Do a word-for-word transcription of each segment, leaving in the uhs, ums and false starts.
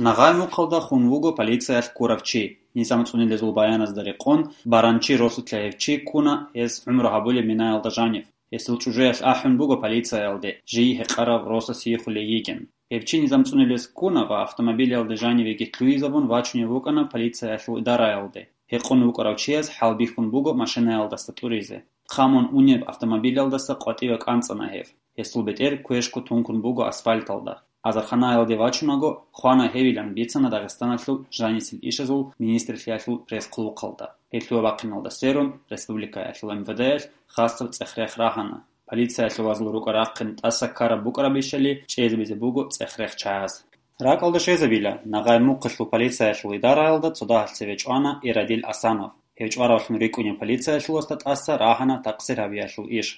Нагъай мухъалда хун вуго полициялъ ккурав чи. Низам цӀунилезул баяназда рекъон, баранчи росулъа гьев чи ккуна, гьес гӀумру гьабулеб минаялда жанив. Гьесул чӀужуялъ ахӀун буго полициялде, жий гьекъарав росас йихулей йигин. Гьев чи низам цӀунилез ккуна ва автомобилиялде жанивеги лъугьизабун вачунев вукӀана полициялъул идараялде. Гьекъон вукӀарав чияс хӀалбихьун буго машинаялдаса тӀуризе. Хъамун унеб автомобилялдаса къватӀиве кӀанцӀана гьев. Гьесул бетӀер квешго тункун буго асфальталда. Азарханаялде вачунаго, хвана гьевилан бицана Дагъистаналъул жанисел ишазул министрлъиялъул пресс-хъулухъалда. Гьелъул бахъиналда сверун, республикаялъул МВД-ялъ хасаб цӀех-рех рагьана. Полициялъул вазул рукӀа рахъин тӀаса ккараб букӀарабищали чӀезабизе буго цӀех-рех чагӀаз. РакӀалда щвезабила, нагъай мухъалъул полициялъул идараялда цо дагьалъ цеве чӀвана Ирадил Асанов. Гьев чӀваравлъун рикӀкӀунев полициялъуласда тӀаса рагьана такъсир гьабиялъул иш.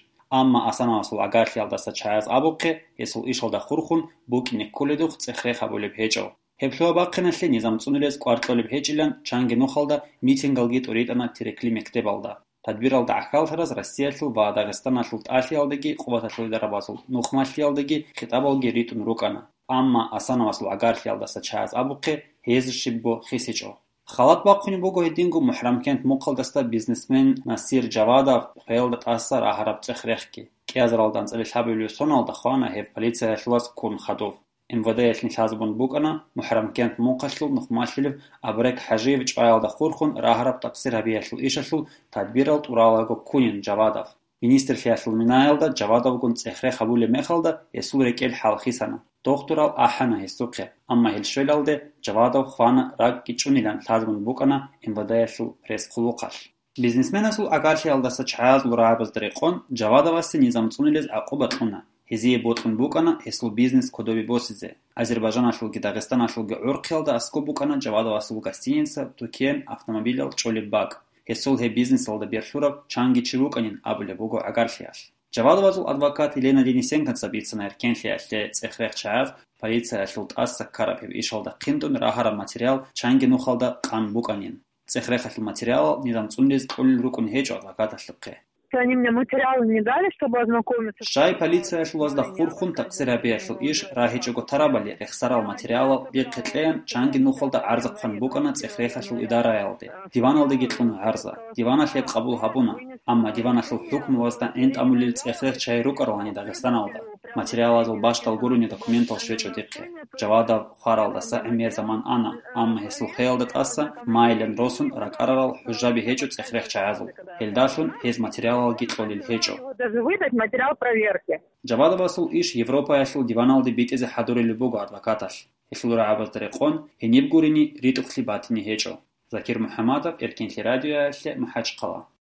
Амма Асановасул гӀагарлъиялдаса чагӀаз абухъе, гьесул ишалда хурхун букӀине кколедухъ цӀех-рех гьабулеб гьечӀо. Гьеб лъугьа-бахъиналъе низам цӀунилез кӀвар кьолеб гьечӀилан чанги нухалда митингалги тӀуритӀана Терекли мектебалда. Тадбиралда гӀахьаллъараз Россиялъул ва Дагъистаналъул тӀалъиялдаги къуваталъул идарабазул нухмалъиялдаги хитӀабалги ритӀун рукӀана, амма Асановасул гӀагарлъиялдаса чагӀаз абухъе, гьез щибго хисичӀо. Халат бахъунеб буго гьединго МухӀрамкент мухъалдасда бизнесмен Насир Жавадов хвеялда тӀаса рагьараб цӀех-рехги. КӀиазаралда анцӀабилеб лъабабилеб соналда хвана гьев полициялъулас ккун хадув. МВД-ялъ нилъазабун букӀана МухӀрамкент мухъалъул нухмалъилев Абрек ХӀажиев чӀваялда хурхун рагьараб такъсир гьабиялъул ишалъул тадбирал тӀуралаго ккунин Жавадов. Министрлъиялъул минаялда Жавадовгун цӀех-рех гьабулеб мехалда гьесул рекӀел хӀалхисана. Дохтурал ахӀана гьесухъе, амма гьел щвелалде Жавадов хвана ракӀги чӀунилан лъазабун букӀана МВД-ялъул пресс-хъулухъалъ. Бизнесменасул гӀагарлъиялдаса чагӀазул рагӀабазда рекъон Жавадовасе низам цӀунилез гӀакъуба кьуна. Гьезие бокьун букӀана гьесул бизнес кодобе босизе. Азербайжаналъулги Дагъистаналъулги гӀурхъиялда аскӀоб букӀана Жавадовасул гостиница, тукен, автомобилал чӀолеб бакӀ. Гьесул гьеб бизнесалда берлъурав чанги чи вукӀанин абулеб буго гӀагарлъиялъ. Жавадовазул адвокат Елена Денисенкоца бицана эркенлъиялъе цӀех-рех чагӀаз полициялъул тӀаса ккараб гьеб ишалда хъинтӀун рагьараб материал чанги нухалда къан букӀанин. ЦӀех-рехалъул материалал низам цӀунилез кьолел рукӀун гьечӀо адвокаталъухъе. Они мне материалы не дали, чтобы ознакомиться. Щай полициялъулазда хурхун такъсир гьабиялъул иш рагьичӀого тарабали, рехсарал материалал дихъе кьеян чанги нухалда гӀарзахъан букӀана цӀех-рехалъул идараялде. Диваналдеги кьуна гӀарза. Диваналъ гьеб къабул гьабуна. Амма диваналъул хӀукмуялда гӀин тӀамулел цӀех-рех чагӀи рукӀаралани Дагъистаналда. Материалазул бащдал гурони документал щвечӀо дихъе. Жавадов хваралдаса гӀемер заман ана, амма гьесул хвеялда тӀаса майилан росун ракӀарарал хӀужаби гьечӀо цӀех-рех чагӀазул. Гьелдалъун гьез материалалги кьолел гьечӀо. Даже выдать материал проверки. Жавадовасул иш Европаялъул диваналде битӀизе хӀадурулеб буго адвокаталъ. Гьелъул рагӀабазда рекъон гьениб гурони ритӀухълъи батине гьечӀо. Закир МухӀамадов, Эркенлъи радиоялъе, МахӀачхъала.